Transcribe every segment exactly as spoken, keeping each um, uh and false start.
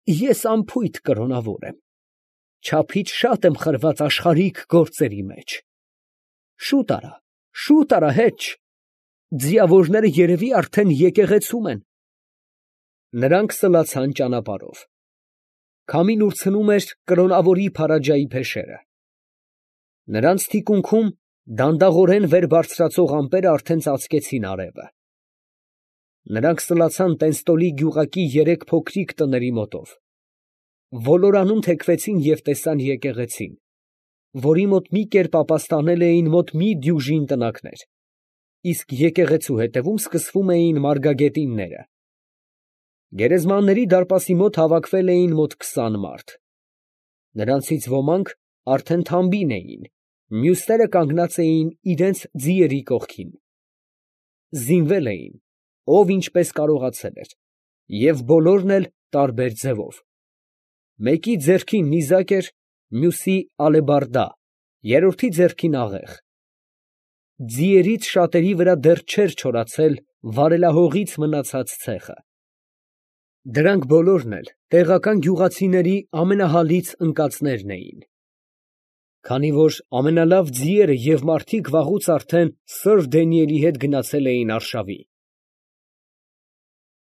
Ես անփույթ կրոնավոր եմ, չափից շատ եմ խրված աշխարհիկ գործերի մեջ. շուտ արա, շուտ արա, հեչ, ձիավորները երևի արդեն եկեղեցում են։ Նրանք սլացան ճանապարհով. քամին ուրցնում էր կրոնավորի փարաջայի փեշերը։ Նրանց թիկունքում դանդաղորեն վեր բարձրացող ամպերը արդեն ծածկեցին արևը։ Նրանք սլացան Տենստոլի գյուղակի երեք փոքրիկ տների մոտով։ Ոլորանում թեքվեցին և տեսան եկեղեցին, որի մոտ մի կերպ ապաստանել էին մոտ մի դյուժին տնակներ, իսկ եկեղեցու հետևում սկսվում էին մարգագետինները։ Գերեզմանների դարպասի մոտ հավաքվել էին մոտ քսան մարդ։ Նրանցից ոմանք արդեն թամբին էին, մյուսները կանգնած էին իրենց ձիերի կողքին։ Զինվել էին, ով ինչպես կարողացել էր, և բոլորն էլ տարբեր ձևով. մեկի ձեռքին նիզակ էր, մյուսի ալեբարդա, երրորդի ձեռքին աղեղ։ Ձիերից շատերի վրա դեռ չէր չորացել վարելահողից մնացած ցեխը։ Դրանք բոլորն էլ տեղական գյուղացիների ամենահալից ընկածներն էին։ Քանի որ ամենալավ ձիերը և մարդիկ վաղուց արդեն սըր Դենիելի հետ գնացել էին արշավի։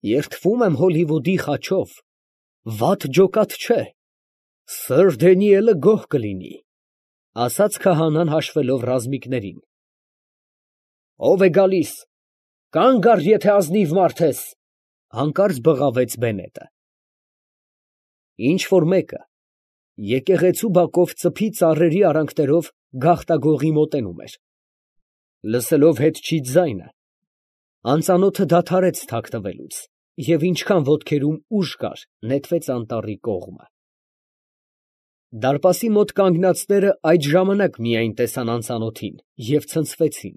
Երդվում եմ Հոլիվուդի խաչով, վատ ջոկատ չէ, սըր Դենիելը գոհ կլինի, ֊ ասաց քահանան հաշվելով ռազմիկներին։ ֊ Ո՞վ է գալիս, կանգ առ, եթե ազնիվ մարդ ես, ֊ հանկարծ բղավեց բենետը։ Ինչ֊որ մեկը եկեղեցու բակով ծփի ծառերի արանքներով գաղտագողի մոտենում էր։ Լսելով հետչի ձայնը, անծանոթը դադարեց թաքնվելուց և ինչքան ոտքերում ուժ կար, նետվեց անտառի կողմը։ Դարպասի մոտ կանգնածները այդ ժամանակ միայն տեսան անծանոթին և ցնցվեցին։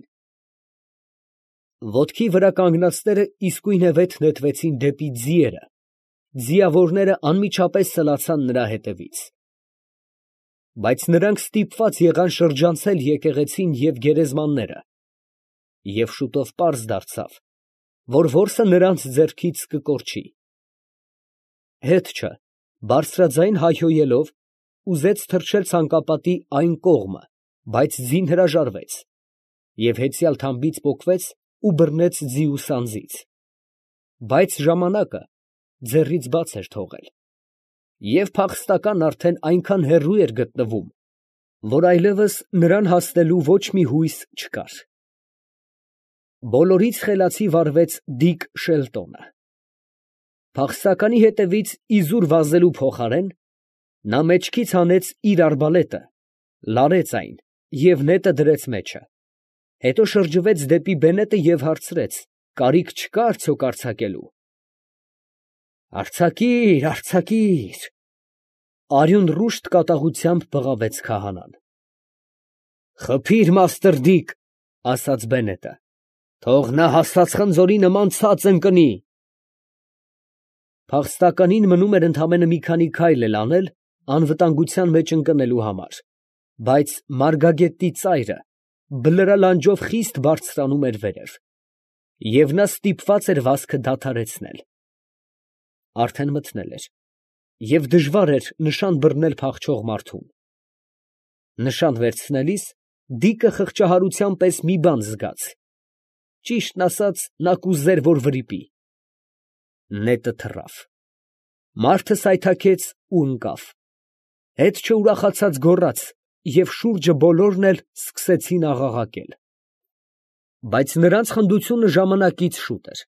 Ոտքի վրա կանգնածները իսկույնևեթ նետվեցին դեպի ձիերը, ձիավորները անմիջապես սլացան նրա հետևից։ Բայց նրանք ստիպված եղան շրջանցել եկեղեցին և գերեզմանները, և շուտով պարզ դարձավ, որ որսը նրանց ձեռքից կկորչի։ Հետչը բարձրաձայն հայհոյելով ուզեց թռչել ցանկապատի այն կողմը, բայց ձին հրաժարվեց և հեծյալ թամբից պոկվեց ու բռնեց ձիու սանձից, բայց ժամանակը ձեռից բաց էր թողել, և փախստական արդեն այնքան հեռու էր գտնվում, որ այլևս նրան հասնելու ոչ մի հույս չկար։ Բոլորից խելացի վարվեց Դիկ Շելտոնը։ Փախստականի հետևից իզուր վազելու փոխարեն, նա մեջքից հանեց իր արբալետը, լարեց այն և նետը դրեց մեջը, հետո շրջվեց դեպի բենետը և հարցրեց. կարիք չկա՞ արդյոք արձակելու։ Արձակիր, արձակիր, ֊ արյուն ռուշտ կատաղությամբ բղավեց քահանան։ Խփի՛ր, մաստր Դիկ, ֊ ասաց բենետը, թող նա հասած խնձորի նման ցած ընկնի։ Փախստականին մնում էր ընդամենը մի քանի քայլ էլ անել անվտանգության մեջ ընկնելու համար, բայց մարգագետի ծայրը բլրալանջով խիստ բարձրանում էր վերև, և նա ստիպված էր վազքը դադարեցնել։ Արդեն մթնել էր, և դժվար էր նշան բռնել փախչող մարդուն։ Նշան վերցնելիս Դիկը խղճահարության պես մի բան զգաց. ճիշտն ասած, նա կուզեր, որ վրիպի։ Նետը թռավ, մարդը սայթաքեց ու ընկավ, հետչը ուրախացած գոռաց, և շուրջը բոլորն էլ սկսեցին աղաղակել։ Բայց նրանց խնդությունը ժամանակից շուտ էր։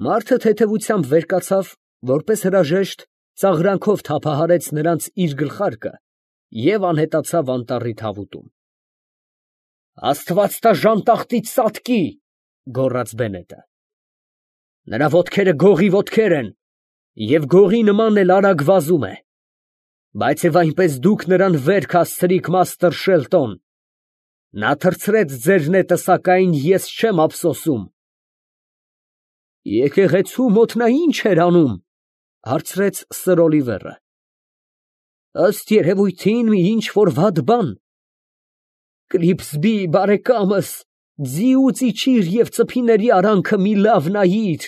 Մարդը թեթևությամբ վեր կացավ, որպես հրաժեշտ ծաղրանքով թափահարեց նրանց իր գլխարկը և անհետացավ անտառի թավուտում։ Աստված տա ժանտախտից ծածկի, ֊ գոռաց բենետը։ Նրա ոտքերը գողի ոտքեր են, և գողի նման էլ արագ վազում է, բայց և այնպես դուք նրան վեր քաշեցիք, մաստր Շելտոն, նա թռցրեց ձեր նետը, սակայն ես չեմ ափսոսում։ Եկեղեցու մոտ նա ի՞նչ էր անում, ֊ հարցրեց սըր Օլիվերը։ Ըստ երևույթին, մի ինչ֊որ վատ բան։ Կլիպսբի, բարեկամս, ձիուց իջիր և ծփիների արանքը մի լավ նայիր։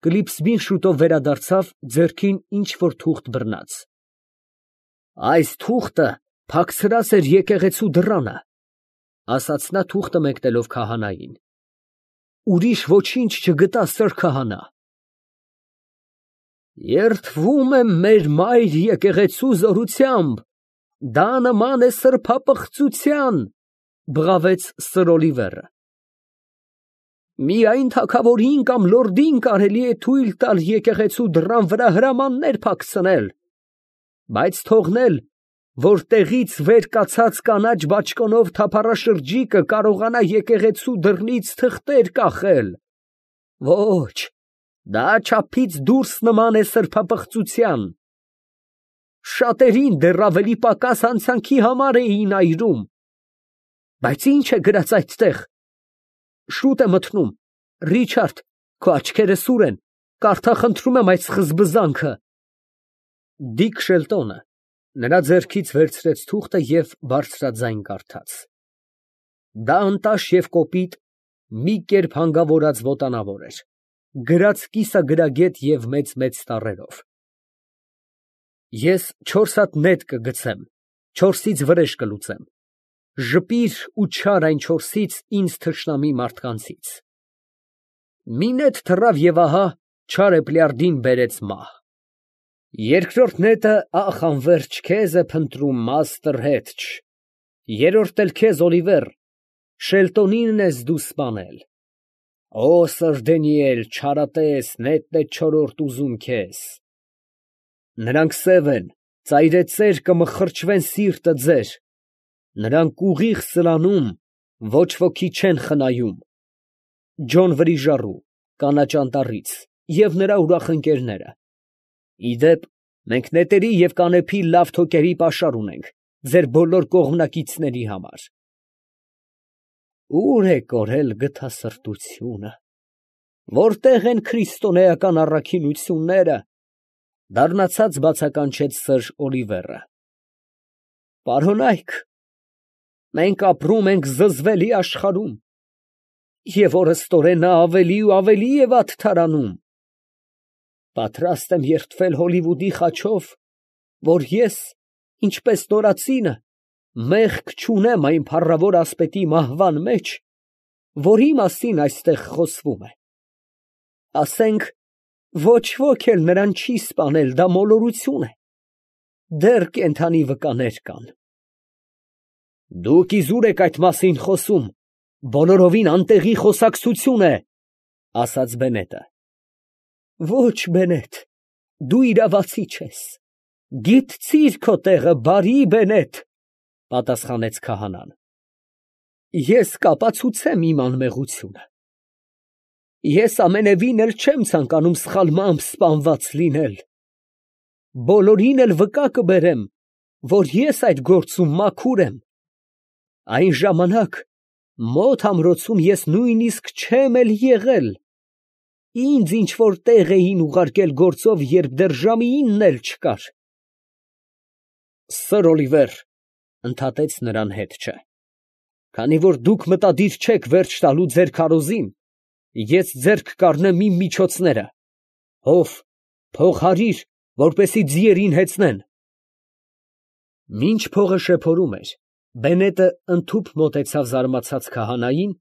Կլիպսբին շուտով վերադարձավ, ձեռքին ինչ֊որ թուղթ բռնած։ Այս թուղթը փակցրած էր եկեղեցու դռանը, ասաց նա թուղթը մեկնելով քահանային։ Ուրիշ ոչինչ չգտա, սըր քահանա։ Երդվում եմ մեր մայր եկեղեցու զորությամբ, դա նման է սրբապղծության, բղավեց սըր Օլիվերը։ Միայն թագավորին կամ լորդին կարելի է թույլ տալ եկեղեցու դռան վրա հրամաններ փակցնել, բայց թողնել, որ տեղից վեր կացած կանաչ բաճկոնով թափառաշրջիկը կարողանա եկեղեցու դռնից թղթեր կախել։ Ոչ, դա չափից դուրս նման է սրբապղծության։ Շատերին դեռ ավելի պակաս հանցանքի համար էին այրում։ Բայց ի՞նչ է գրած այդտեղ։ Շուտ է մթնում, Ռիչարդ, քո աչքերը սուր են, կարդա խնդրում եմ այդ սկզբզանքը։ Դիկ Շելտոնը նրա ձեռքից վերցրեց թուղթը և բարձրաձայն կարդաց։ Դա անտաշ և կոպիտ, մի կերպ հանգավորած ոտանավոր էր, գրած կիսագրագետ և մեծ֊մեծ տառերով։ Ես չորս հատ նետ կգցեմ, չորսից վրեժ կլուծեմ, ժպիր ու չար այն չորսից ինձ թշնամի մարդկանցից։ Մի նետ թռավ և ահա Չարեփլյարդին բերեց մահ։ Երկրորդ նետը, ախ, անվերջ քեզ է փնտրում, մաստր հետչ, երրորդն էլ քեզ, Օլիվեր, Շելտոնին ես դու սպանել։ Օ, սըր Դենիել, չարատես, նետն է չորրորդ ուզում քեզ։ Նրանք սև են, ծայրեցեր կմխրճվեն սիրտը ձեր, նրանք ուղիղ սլանում, ոչ ոքի չեն խնայում։ Ջոն Վրիժառու, կանաչ անտառից, և նրա ուրախ ընկերները։ Իդեպ, մենք նետերի և կանեփի լավ թոկերի պաշար ունենք, ձեր բոլոր կողմնակիցների համար։ Ո՞ւր է կորել գթասրտությունը, որտե՞ղ են քրիստոնեական առաքինությունները, դառնացած բացականչեց սըր Օլիվերը։ Պարոնայք, մենք ապրում ենք զզվելի աշխարհում, և օրըստօրեն նա ավելի ու ավելի է վատթարանում։ Պատրաստ եմ երդվել Հոլիվուդի խաչով, որ ես, ինչպես նորածինը, մեղք չունեմ այն փառավոր ասպետի մահվան մեջ, որի մասին այստեղ խոսվում է։ Ասենք, ոչ ոք էլ նրան չի սպանել, դա մոլորություն է, դեռ կենդանի վկաներ կան։ Դուք իզուր եք այդ մասին խոսում, բոլորովին անտեղի խոսակցություն է, ասաց Բենետը։ Ոչ, Բենետ, դու իրավացի չես, գիտցիր քո տեղը, բարի Բենետ, պատասխանեց քահանան։ Ես կապացուցեմ իմ անմեղությունը։ Ես ամենևին էլ չեմ ցանկանում սխալմամբ սպանված լինել։ Բոլորին էլ վկա կբերեմ, որ ես այդ գործում մաքուր եմ։ Այն ժամանակ մոտ ամրոցում ես նույնիսկ չեմ էլ եղել։ Ինձ ինչ֊որ տեղ էին ուղարկել գործով, երբ դեռ ժամինն էլ չկար։ Սըր Օլիվեր, ընդհատեց նրան հետչը, քանի որ դուք մտադիր չեք վերջ տալու ձեր քարոզին, ես ձեռք կառնեմ իմ միջոցները, հով, փողհարիր, որպեսզի ձիերին հեծնեն։ Մինչ փողը շեփորում էր, Բենետը ընդհուպ մոտեցավ զարմացած քահանային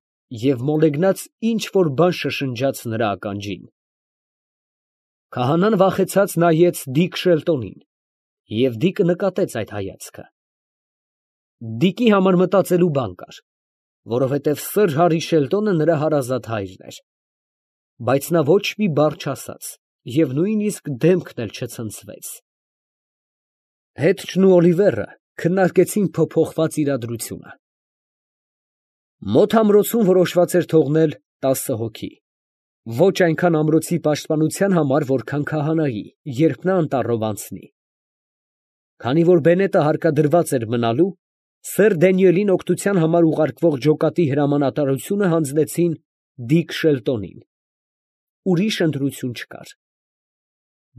և մոլեգնած ինչ֊որ բան շշնջաց նրա ականջին։ Քահանան վախեցած նայեց Դիկ Շելտոնին, և Դիկը նկատեց այդ հայացքը։ Դիկի համար մտածելու բան կար, որովհետև սըր Հարի Շելտոնը նրա հարազատ հայրն էր, բայց նա ոչ մի բառ չասաց և նույնիսկ դեմքն էլ չցնցվեց։ Հետչն ու Օլիվերը քննարկեցին փոփոխված իրադրությունը։ Մոտ ամրոցում որոշված էր թողնել տասը հոգի, ոչ այնքան ամրոցի պաշտպանության համար, որքան քահանայի, երբ նա անտառով անցնի։ Քանի որ Բենետը հարկադրված էր մնալու, սըր Դենիելին օգնության համար ուղարկվող ջոկատի հրամանատարությունը հանձնեցին Դիկ Շելտոնին։ Ուրիշ ընտրություն չկար։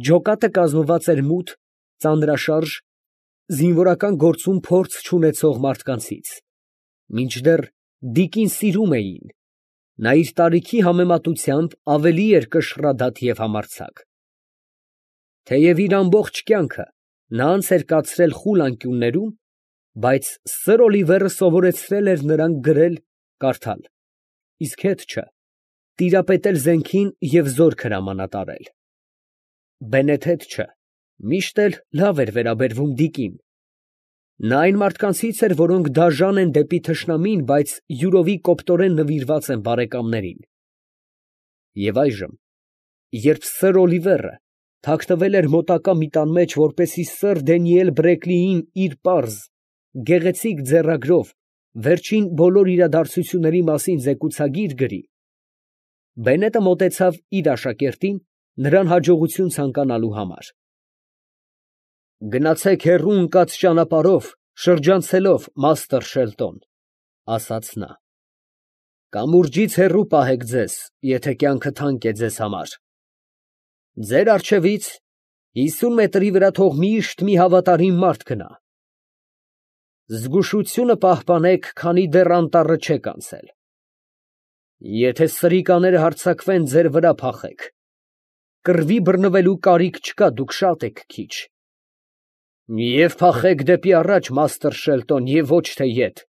Ջոկատը կազմված էր մութ, ծանրաշարժ, զինվորական գործում փորձ չունեցող մարդկանցից, մինչդեռ Դիկին սիրում էին, Նա իր տարիքի համեմատությամբ ավելի էր կշռադատ և համարձակ։ Թեև իր ամբողջ կյանքը նա անց էր կացրել խուլ անկյուններում, բայց սըր Օլիվերը սովորեցրել էր նրան գրել, կարդալ, իսկ հետ չէ, տիրապետել զենքին և զորք հրամանատարել։ Բենեթ հետ չէ, միշտ էլ լավ էր վերաբերվում Դիկին։ Նա այն մարդկանցից էր, որոնք դաժան են դեպի թշնամին, բայց յուրովի կոպտորեն նվիրված են բարեկամներին։ Եվ այժմ, երբ սըր Օլիվերը թաքնվել էր մոտակա մի տան մեջ, որպեսզի սըր Դանիել Բրեքլիին իր պարզ, գեղեցիկ ձեռագրով վերջին բոլոր իրադարձությունների մասին զեկուցագիր գրի, Բենետը մոտեցավ իր աշակերտին, նրան հաջողություն ցանկանալու համար։ «Գնացեք հեռու ընկած ճանապարհով, շրջանցելով, մաստր Շելտոն, ֊ ասաց նա. ֊ կամուրջից հեռու պահեք ձեզ, եթե կյանքը թանկ է ձեզ համար։ Ձեր առջևից հիսուն մետրի վրա թող միշտ մի հավատարիմ մարդ գնա։ Զգուշությունը պահպանեք, քանի դեռ անտառը չեք անցել։ Եթե սրիկաները հարձակվեն, ձեր վրա փախեք։ Կռվի բռնվելու կարիք չկա, դուք շատ եք քիչ։ Եվ փախեք դեպի առաջ, մաստր Շելտոն, և ոչ թե ետ,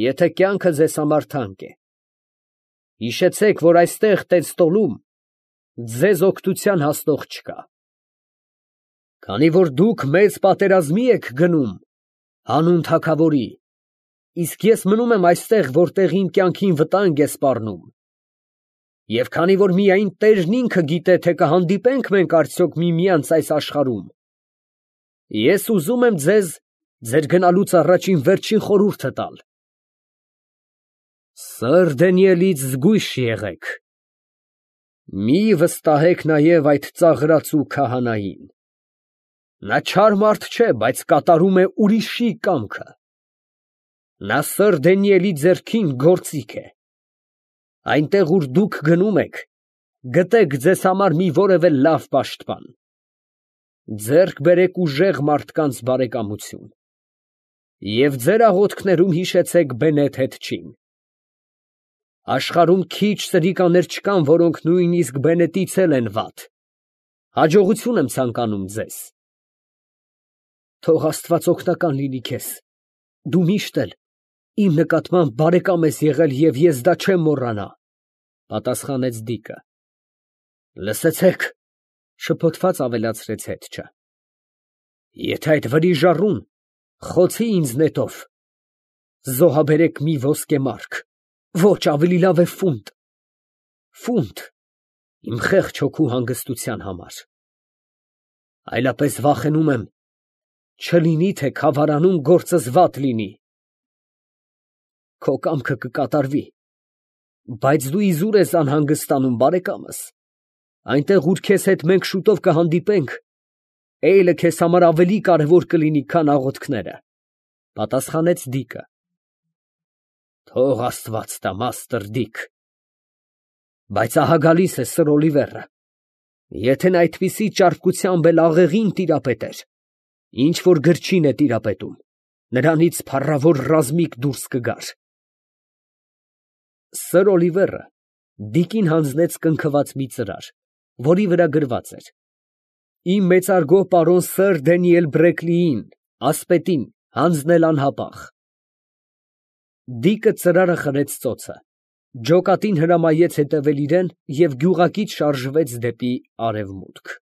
եթե կյանքը ձեզ համար թանկ է։ Հիշեցեք, որ այստեղ տեստոլում ձեզ օգնության հասնող չկա։ Քանի որ դուք մեծ պատերազմի եք գնում հանուն թագավորի, իսկ ես մնում եմ այստեղ, որտեղ իմ կյանքին վտանգ է սպառնում, և քանի որ միայն տերն ինքը գիտե, թե կհանդիպենք մենք արդյոք միմյանց այս աշխարհում, ես ուզում եմ ձեզ ձեր գնալուց առաջ իմ վերջին խորհուրդը տալ. սըր Դանիելից զգույշ եղեք, մի վստահեք նաև այդ ծաղրածու քահանային. նա չար մարդ չէ, բայց կատարում է ուրիշի կամքը։ Նա սըր Դանիելի ձեռքին գործիք է։ Այնտեղ, ուր դուք գնում եք, գտեք ձեզ համար մի որևէ լավ պաշտպան։ Ձեռք բերեք ուժեղ մարդկանց բարեկամություն և ձեր աղոթքներում հիշեցեք Բենեթ հետչին։ Աշխարհում քիչ սրիկաներ չկան, որոնք նույնիսկ Բենետից էլ են վատ։ Հաջողություն եմ ցանկանում ձեզ։ Թող Աստված օգնական լինի քեզ, դու միշտ էլ իմ նկատմամբ բարեկամ ես եղել և ես դա չեմ մոռանա, ֊ պատասխանեց Դիկը։ Լսեցե՛ք, ֊ շփոթված ավելացրեց հետչը, եթե այդ վրիժառուն խոցի ինձ նետով, զոհաբերեք մի ոսկեմարկ, ոչ, ավելի լավ է ֆունտ, ֆունտ, իմ խեղճ հոգու հանգստության համար, այլապես վախենում եմ, չլինի թե քավարանում գործս վատ լինի։ Քո կամքը կկատարվի, բայց դու իզուր ես անհանգստանում, բարեկամս, այնտեղ, ուր քեզ հետ մենք շուտով կհանդիպենք, էյլը քեզ համար ավելի կարևոր կլինի, քան աղոթքները, ֊ պատասխանեց Դիկը։ Թող Աստված տա, մաստր Դիկ, բայց ահա գալիս է սըր Օլիվերը, եթե նա այդպիսի ճարպկությամբ էլ աղեղին տիրապետեր, ինչ որ գրչին է տիրապետում, նրանից փառավոր ռազմիկ դուրս կգար։ Սըր Օլիվերը Դիկին հանձնեց կնքված մի ծրար, որի վրա գրված էր. Իմ մեծարգո պարոն սըր Դանիել Բրեքլիին, ասպետին, հանձնել անհապաղ։ Դիկը ծրարը խրեց ծոցը, ջոկատին հրամայեց հետևել իրան և գյուղակից շարժվեց դեպի արևմուտք։